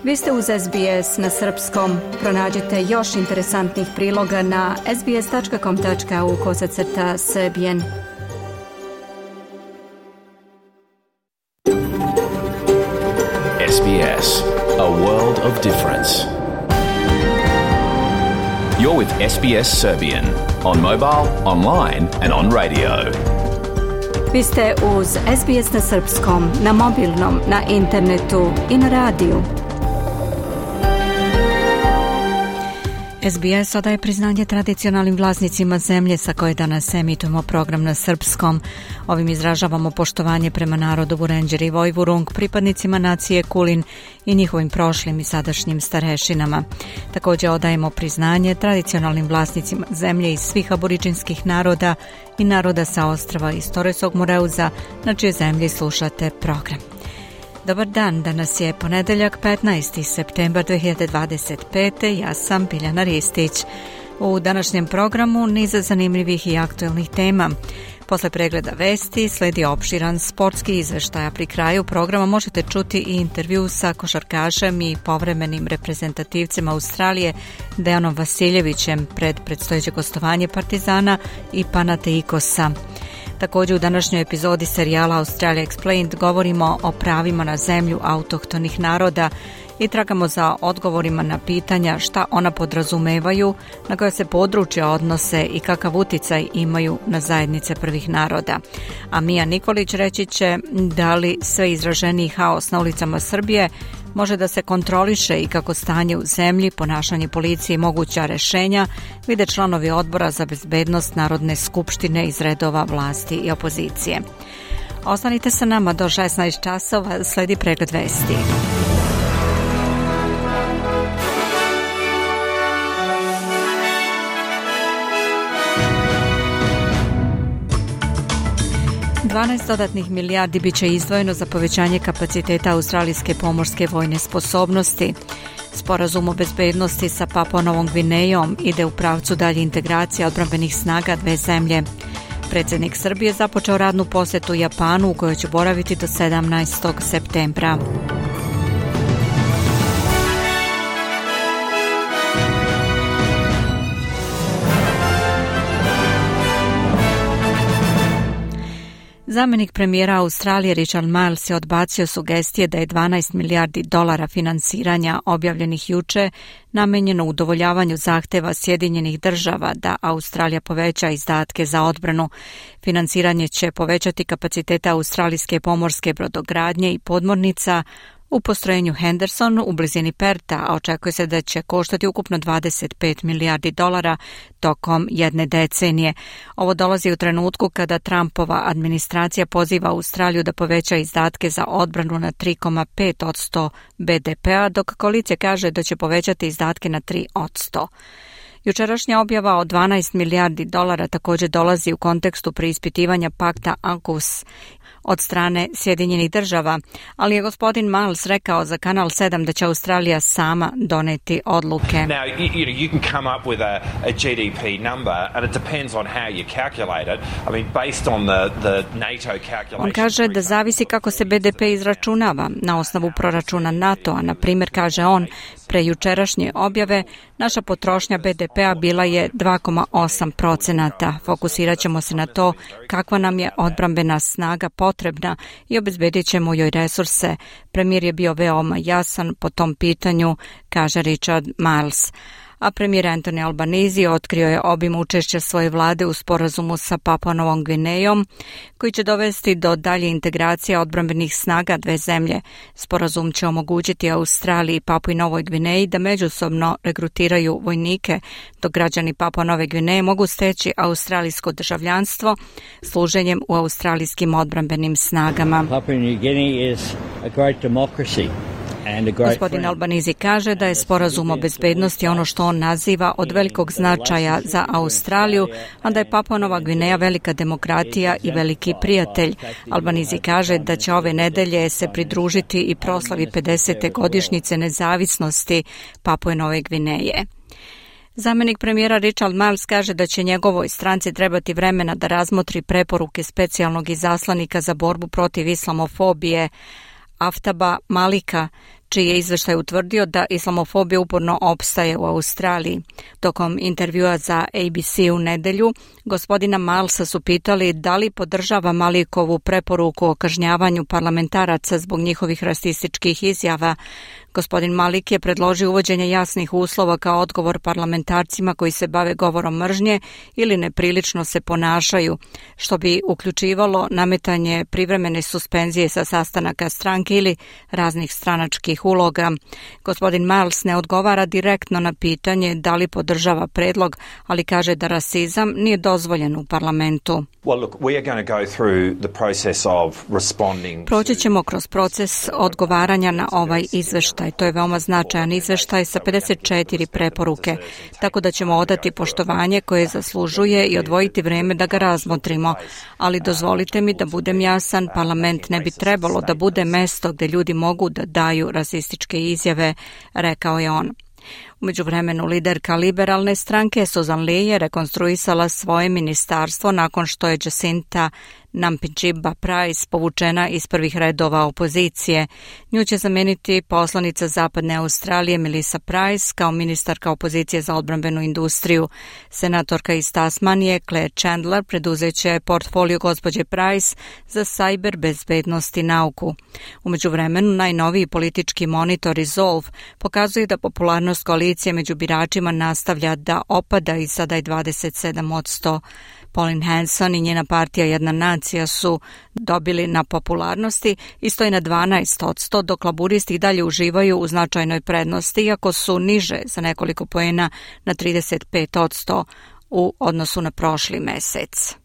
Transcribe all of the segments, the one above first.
Vi ste uz SBS na srpskom. Pronađite još interesantnih priloga na sbs.com.au/Serbian. SBS, a world of difference. You're with SBS Serbian on mobile, online and on radio. Vi ste uz SBS na srpskom, na mobilnom, na internetu i na radiju. SBS odaje priznanje tradicionalnim vlasnicima zemlje sa koje danas emitujemo program na srpskom. Ovim izražavamo poštovanje prema narodu Vurenđer i Vojvurung, pripadnicima nacije Kulin i njihovim prošlim i sadašnjim starešinama. Također odajemo priznanje tradicionalnim vlasnicima zemlje iz svih aboriđinskih naroda i naroda sa ostrava iz Torresog Moreuza, na čije zemlji slušate program. Dobar dan, danas je ponedeljak 15. septembar 2025. Ja sam Biljana Ristić. U današnjem programu niz zanimljivih i aktuelnih tema. Posle pregleda vesti sledi opširan sportski izveštaj, a pri kraju programa možete čuti i intervju sa košarkašem i povremenim reprezentativcem Australije Dejanom Vasiljevićem pred predstojeće gostovanje Partizana i Panathinaikosa. Također u današnjoj epizodi serijala Australia Explained govorimo o pravima na zemlju autohtonih naroda i tragamo za odgovorima na pitanja šta ona podrazumevaju, na koja se područja odnose i kakav uticaj imaju na zajednice prvih naroda. A Mija Nikolić reći će da li sve izraženiji haos na ulicama Srbije može da se kontroliše i kako stanje u zemlji, ponašanje policije i moguća rešenja vide članovi odbora za bezbednost Narodne skupštine iz redova vlasti i opozicije. Ostanite sa nama do 16 časova, sledi pregled vesti. $12 milijardi biće izdvojeno za povećanje kapaciteta australijske pomorske vojne sposobnosti. Sporazum o bezbednosti sa Papua Novom Gvinejom ide u pravcu dalje integracije odbrambenih snaga dve zemlje. Predsjednik Srbije započeo radnu posjetu Japanu u kojoj će boraviti do 17. septembra. Zamjenik premijera Australije Richard Marles je odbacio sugestije da je $12 milijardi finansiranja objavljenih juče namenjeno udovoljavanju zahteva Sjedinjenih država da Australija poveća izdatke za odbranu. Finansiranje će povećati kapacitete australijske pomorske brodogradnje i podmornica u postrojenju Henderson u blizini Perta, a očekuje se da će koštati ukupno $25 milijardi tokom jedne decenije. Ovo dolazi u trenutku kada Trumpova administracija poziva Australiju da poveća izdatke za odbranu na 3,5% BDP-a, dok koalicija kaže da će povećati izdatke na 3%. Jučerašnja objava od $12 milijardi također dolazi u kontekstu preispitivanja pakta AUKUS od strane Sjedinjenih država, ali je gospodin Miles rekao za Kanal 7 da će Australija sama doneti odluke. Now, you can come up with a GDP number and it depends on how you calculate it. I mean, based on the NATO calculation. On kaže da zavisi kako se BDP izračunava na osnovu proračuna NATO-a. Na primjer, kaže on, pre jučerašnje objave naša potrošnja BDP-a bila je 2,8%. Fokusirat ćemo se na to kakva nam je odbrambena snaga potrebna i obezbedit ćemo joj resurse. Premijer je bio veoma jasan po tom pitanju, kaže Richard Marles. A premijer Anthony Albanese otkrio je obim učešća svoje vlade u sporazumu sa Papua Novom Gvinejom, koji će dovesti do dalje integracije odbrambenih snaga dve zemlje. Sporazum će omogućiti Australiji i Papui Novoj Gvineji da međusobno regrutiraju vojnike, dok građani Papua Nove Gvineje mogu steći australijsko državljanstvo služenjem u australijskim odbrambenim snagama. Papua New Guinea is a great democracy. Gospodin Albanese kaže da je sporazum o bezbednosti ono što on naziva od velikog značaja za Australiju, a da je Papua Nova Gvineja velika demokratija i veliki prijatelj. Albanese kaže da će ove nedelje se pridružiti i proslavi 50. godišnjice nezavisnosti Papue Nove Gvineje. Zamjenik premijera Richard Marles kaže da će njegovoj stranci trebati vremena da razmotri preporuke specijalnog izaslanika za borbu protiv islamofobije Aftaba Malika, čiji je izveštaj utvrdio da islamofobija uporno opstaje u Australiji. Tokom intervjua za ABC u nedelju, gospodina Milesa su pitali da li podržava Malikovu preporuku o kažnjavanju parlamentaraca zbog njihovih rasističkih izjava. Gospodin Malik je predložio uvođenje jasnih uslova kao odgovor parlamentarcima koji se bave govorom mržnje ili neprilično se ponašaju, što bi uključivalo nametanje privremene suspenzije sa sastanaka stranke ili raznih stranačkih uloga. Gospodin Miles ne odgovara direktno na pitanje da li podržava predlog, ali kaže da rasizam nije dozvoljen u parlamentu. Proći ćemo kroz proces odgovaranja na ovaj izveštaj. To je veoma značajan izveštaj sa 54 preporuke, tako da ćemo odati poštovanje koje zaslužuje i odvojiti vreme da ga razmotrimo. Ali dozvolite mi da budem jasan, parlament ne bi trebalo da bude mesto gde ljudi mogu da daju rasističke izjave, rekao je on. U međuvremenu liderka liberalne stranke Susan Lee je rekonstruisala svoje ministarstvo nakon što je Jacinta Nampijinpa-Price povučena iz prvih redova opozicije. Nju će zameniti poslanica Zapadne Australije Melissa Price kao ministarka opozicije za odbrambenu industriju. Senatorka iz Tasmanije Claire Chandler preduzeće portfolio gospođe Price za cyber bezbednost i nauku. U međuvremenu najnoviji politički monitor Resolve pokazuje da popularnost koalicije među biračima nastavlja da opada i sada je 27%. Pauline Hanson i njena partija Jedna nacija su dobili na popularnosti i stoji na 12%, dok laburisti dalje uživaju u značajnoj prednosti, iako su niže za nekoliko poena na 35% u odnosu na prošli mesec.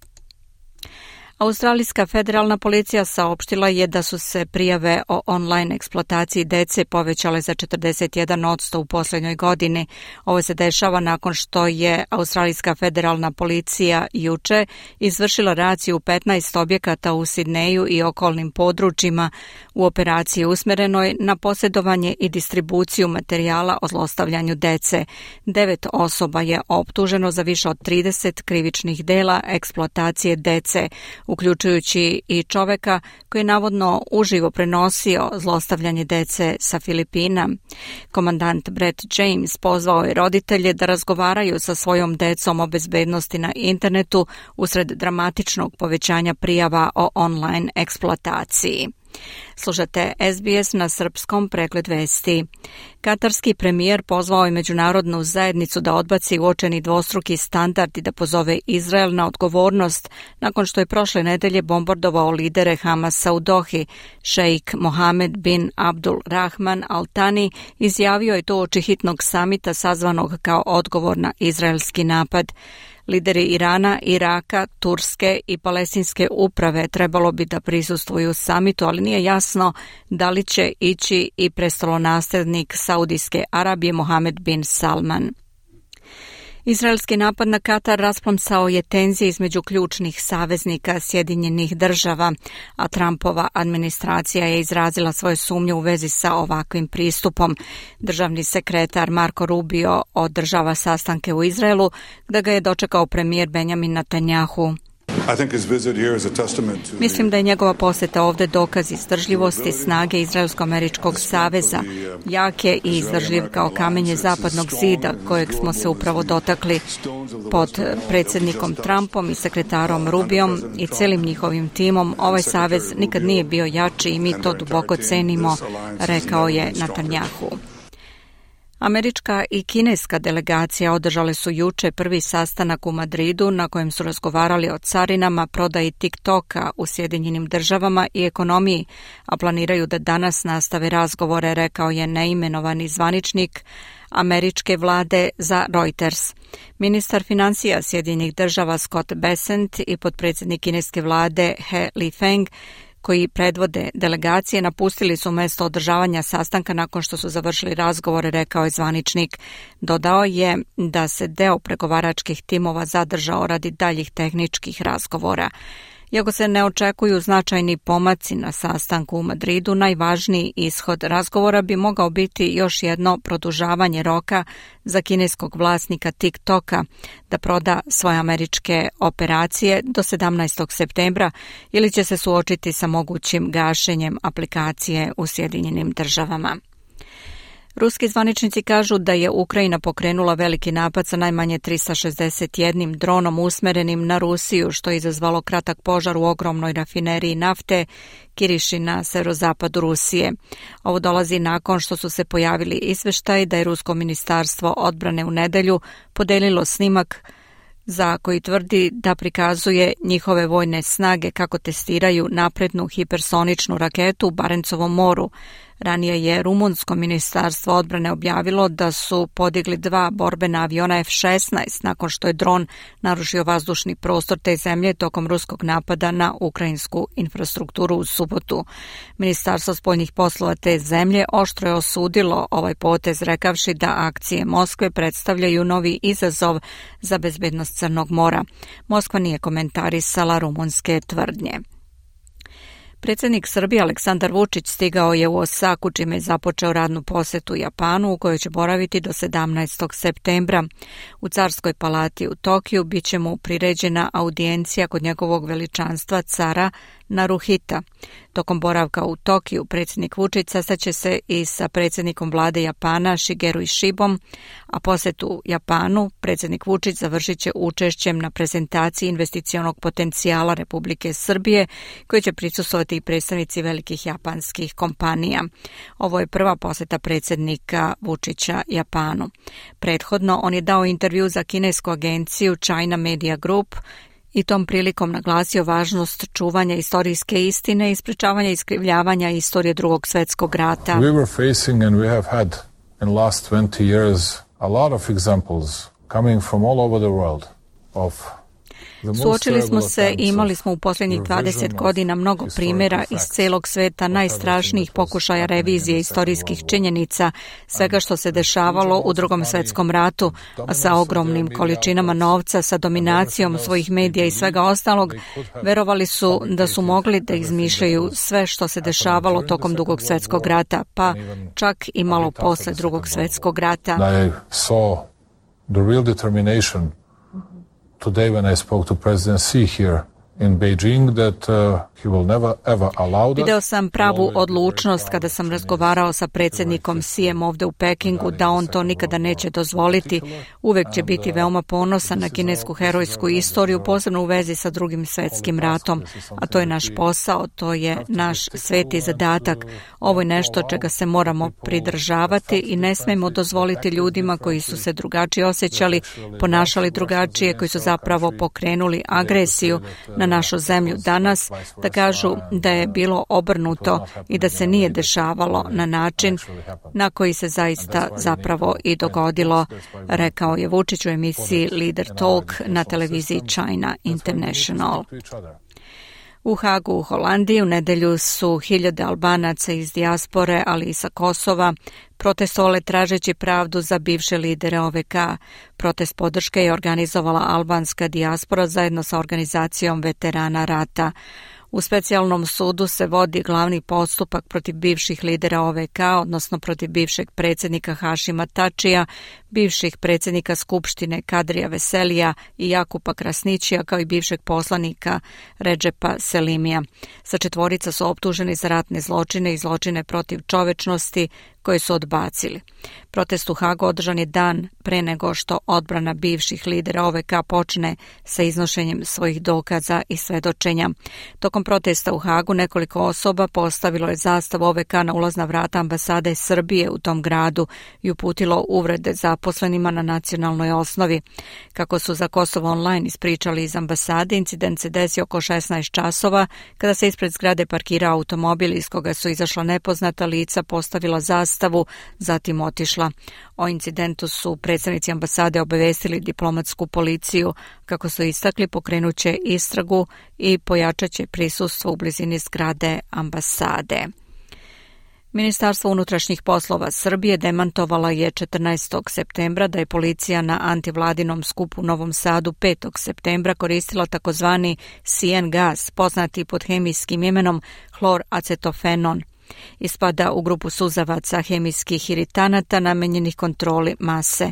Australijska federalna policija saopštila je da su se prijave o online eksploataciji dece povećale za 41% u posljednjoj godini. Ovo se dešava nakon što je Australijska federalna policija juče izvršila raciju u 15 objekata u Sidneju i okolnim područjima u operaciji usmerenoj na posjedovanje i distribuciju materijala o zlostavljanju dece. 9 osoba je optuženo za više od 30 krivičnih dela eksploatacije dece, uključujući i čoveka koji je navodno uživo prenosio zlostavljanje dece sa Filipina. Komandant Brett James pozvao je roditelje da razgovaraju sa svojom decom o bezbednosti na internetu usred dramatičnog povećanja prijava o online eksploataciji. Slušate SBS na srpskom, pregled vesti. Katarski premijer pozvao je međunarodnu zajednicu da odbaci uočeni dvostruki standard i da pozove Izrael na odgovornost nakon što je prošle nedelje bombardovao lidere Hamasa u Dohi. Šejk Mohamed bin Abdul Rahman Al Thani izjavio je to uoči hitnog samita sazvanog kao odgovor na izraelski napad. Lideri Irana, Iraka, Turske i palestinske uprave trebalo bi da prisustvuju samitu, ali nije jasno da li će ići i prestolonaslednik Saudijske Arabije Mohamed bin Salman. Izraelski napad na Katar rasplamsao je tenzije između ključnih saveznika Sjedinjenih država, a Trumpova administracija je izrazila svoje sumnje u vezi sa ovakvim pristupom. Državni sekretar Marco Rubio održava sastanke u Izraelu, gde ga je dočekao premijer Benjamin Netanjahu. Mislim da je njegova posjeta ovdje dokaz izdržljivosti snage Izraelsko-američkog saveza, jake i izdržljiv kao kamenje zapadnog zida kojeg smo se upravo dotakli. Pod predsjednikom Trumpom i sekretarom Rubiom i celim njihovim timom ovaj savez nikad nije bio jači i mi to duboko cenimo, rekao je Netanjahu. Američka i kineska delegacija održale su juče prvi sastanak u Madridu na kojem su razgovarali o carinama, prodaji TikToka u Sjedinjenim državama i ekonomiji, a planiraju da danas nastave razgovore, rekao je neimenovani zvaničnik američke vlade za Reuters. Ministar financija Sjedinjenih država Scott Bessent i potpredsjednik kineske vlade He Lifeng koji predvode delegacije napustili su mesto održavanja sastanka nakon što su završili razgovore, rekao je zvaničnik. Dodao je da se deo pregovaračkih timova zadržao radi daljih tehničkih razgovora. Iako se ne očekuju značajni pomaci na sastanku u Madridu, najvažniji ishod razgovora bi mogao biti još jedno produžavanje roka za kineskog vlasnika TikToka da proda svoje američke operacije do 17. septembra ili će se suočiti sa mogućim gašenjem aplikacije u Sjedinjenim državama. Ruski zvaničnici kažu da je Ukrajina pokrenula veliki napad sa najmanje 361 dronom usmerenim na Rusiju, što je izazvalo kratak požar u ogromnoj rafineriji nafte Kiriši na severozapadu Rusije. Ovo dolazi nakon što su se pojavili izveštaji da je Rusko ministarstvo odbrane u nedelju podelilo snimak za koji tvrdi da prikazuje njihove vojne snage kako testiraju naprednu hipersoničnu raketu u Barencovom moru. Ranije je Rumunsko ministarstvo odbrane objavilo da su podigli 2 borbena aviona F-16 nakon što je dron narušio vazdušni prostor te zemlje tokom ruskog napada na ukrajinsku infrastrukturu u subotu. Ministarstvo spoljnih poslova te zemlje oštro je osudilo ovaj potez, rekavši da akcije Moskve predstavljaju novi izazov za bezbednost Crnog mora. Moskva nije komentarisala rumunske tvrdnje. Predsjednik Srbije Aleksandar Vučić stigao je u Osaku, čime je započeo radnu posetu Japanu u kojoj će boraviti do 17. septembra. U Carskoj palati u Tokiju bit će mu priređena audijencija kod njegovog veličanstva cara Naruhita. Tokom boravka u Tokiju predsjednik Vučić sastaće se i sa predsjednikom vlade Japana Shigeru Ishibom, a posetu Japanu predsjednik Vučić završit će učešćem na prezentaciji investicionog potencijala Republike Srbije, koji će prisustvovati i predstavnici velikih japanskih kompanija. Ovo je prva poseta predsjednika Vučića Japanu. Prethodno on je dao intervju za kinesku agenciju China Media Group i tom prilikom naglasio važnost čuvanja istorijske istine i sprečavanja iskrivljavanja istorije Drugog svjetskog rata. We were facing and we have had in last 20 years a lot of examples coming from all over the world of Suočili smo se i imali smo u posljednjih 20 godina mnogo primjera iz celog sveta najstrašnijih pokušaja revizije istorijskih činjenica, svega što se dešavalo u Drugom svjetskom ratu, a sa ogromnim količinama novca, sa dominacijom svojih medija i svega ostalog, verovali su da su mogli da izmišljaju sve što se dešavalo tokom Drugog svjetskog rata, pa čak i malo posle Drugog svjetskog rata. Today when I spoke to President Xi here in Beijing that he will never ever allow that. Video sam pravu odlučnost kada sam razgovarao sa predsjednikom Xijem ovdje u Pekingu da on to nikada neće dozvoliti. Uvek će biti veoma ponosan na kinesku herojsku istoriju, posebno u vezi sa Drugim svjetskim ratom. A to je naš posao, to je naš sveti zadatak. Ovo je nešto čega se moramo pridržavati i ne smemo dozvoliti ljudima koji su se drugačije osjećali, ponašali drugačije, koji su zapravo pokrenuli agresiju na našu zemlju danas, da kažu da je bilo obrnuto i da se nije dešavalo na način na koji se zaista zapravo i dogodilo, rekao je Vučić u emisiji Leader Talk na televiziji China International. U Hagu u Holandiji u nedelju su hiljade Albanaca iz dijaspore, ali i sa Kosova, protestovale tražeći pravdu za bivše lidere OVK. Protest podrške je organizovala albanska dijaspora zajedno sa organizacijom veterana rata. U specijalnom sudu se vodi glavni postupak protiv bivših lidera OVK, odnosno protiv bivšeg predsjednika Hašima Tačija, bivših predsjednika Skupštine Kadrija Veselija i Jakupa Krasnićija, kao i bivšeg poslanika Redžepa Selimija. Sa četvorica su optuženi za ratne zločine i zločine protiv čovečnosti koje su odbacili. Protest u Hagu održan je dan pre nego što odbrana bivših lidera OVK počne sa iznošenjem svojih dokaza i svedočenja. Tokom protesta u Hagu nekoliko osoba postavilo je zastavu OVK na ulazna vrata ambasade Srbije u tom gradu i uputilo uvrede zaposlenima na nacionalnoj osnovi. Kako su za Kosovo Online ispričali iz ambasade, incident se desio oko 16 časova kada se ispred zgrade parkirao automobil iz koga su izašla nepoznata lica, postavila zastavu, zatim otišla. O incidentu su predstavnici ambasade obavestili diplomatsku policiju. Kako su istakli, pokrenuće istragu i pojačaće prisustvo u blizini zgrade ambasade. Ministarstvo unutrašnjih poslova Srbije demantovala je 14. septembra da je policija na antivladinom skupu u Novom Sadu 5. septembra koristila takozvani CN gas, poznati pod hemijskim imenom hloracetofenon. Ispada u grupu suzavaca hemijskih iritanata namenjenih kontroli mase.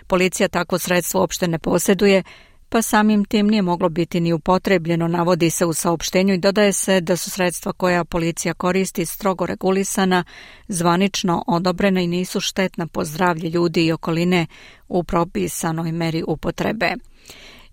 Policija takvo sredstvo uopšte ne posjeduje, pa samim tim nije moglo biti ni upotrebljeno, navodi se u saopštenju i dodaje se da su sredstva koja policija koristi strogo regulisana, zvanično odobrena i nisu štetna po zdravlje ljudi i okoline u propisanoj meri upotrebe.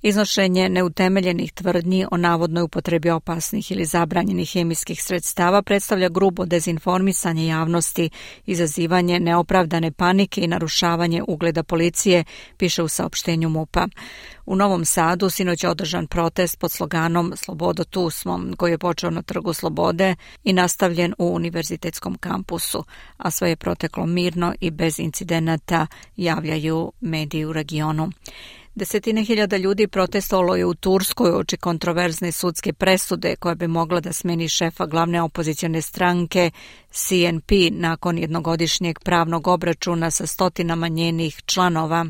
Iznošenje neutemeljenih tvrdnji o navodnoj upotrebi opasnih ili zabranjenih hemijskih sredstava predstavlja grubo dezinformisanje javnosti, izazivanje neopravdane panike i narušavanje ugleda policije, piše u saopštenju MUP-a. U Novom Sadu sinoć je održan protest pod sloganom Slobodo tu smo, koji je počeo na Trgu Slobode i nastavljen u univerzitetskom kampusu, a sve je proteklo mirno i bez incidenata, javljaju mediji u regionu. Desetine hiljada ljudi protestovalo je u Turskoj uoči kontroverzne sudske presude koja bi mogla da smeni šefa glavne opozicione stranke CNP nakon jednogodišnjeg pravnog obračuna sa stotinama njenih članova.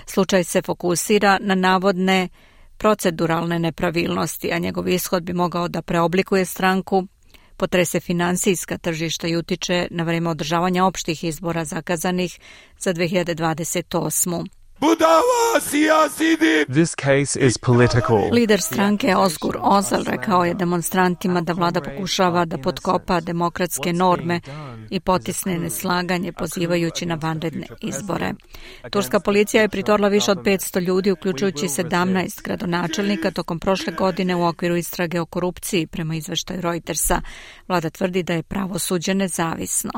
Slučaj se fokusira na navodne proceduralne nepravilnosti, a njegov ishod bi mogao da preoblikuje stranku, potrese finansijska tržišta i utiče na vreme održavanja opštih izbora zakazanih za 2028. This case is political. Lider stranke Ozgur Ozal rekao je demonstrantima da vlada pokušava da potkopa demokratske norme i potisne neslaganje pozivajući na vanredne izbore. Turska policija je pritorila više od 500 ljudi, uključujući 17 gradonačelnika tokom prošle godine u okviru istrage o korupciji, prema izveštaju Reutersa. Vlada tvrdi da je pravosuđe nezavisno.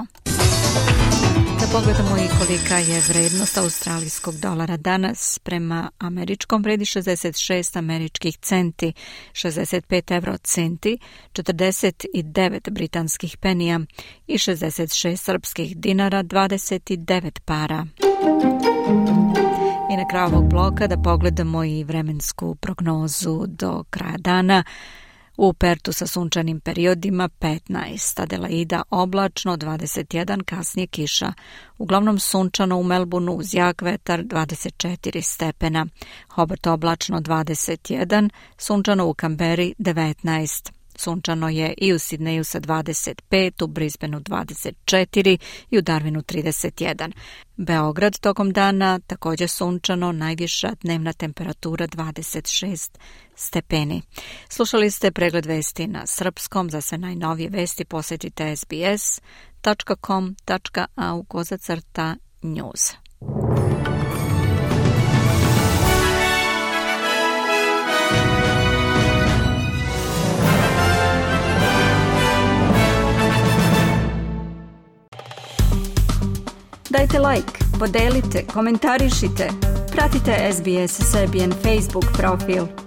Da pogledamo i kolika je vrednost australijskog dolara danas. Prema američkom vredi 66 američkih centi, 65 euro centi, 49 britanskih penija i 66 srpskih dinara, 29 para. I na kraju ovog bloka da pogledamo i vremensku prognozu do kraja dana. U Pertu sa sunčanim periodima 15, Adelaida oblačno 21, kasnije kiša. Uglavnom sunčano u Melbourneu uz jak vetar 24 stepena. Hobart oblačno 21, sunčano u Kamberi 19. Sunčano je i u Sidneju sa 25, u Brisbaneu 24 i u Darwinu 31. Beograd tokom dana također sunčano, najviša dnevna temperatura 26 stepeni. Slušali ste pregled vesti na srpskom. Za sve najnovije vesti posjetite sbs.com.au/news. Dajte like, podelite, komentarišite. Pratite SBS Serbian Facebook profil.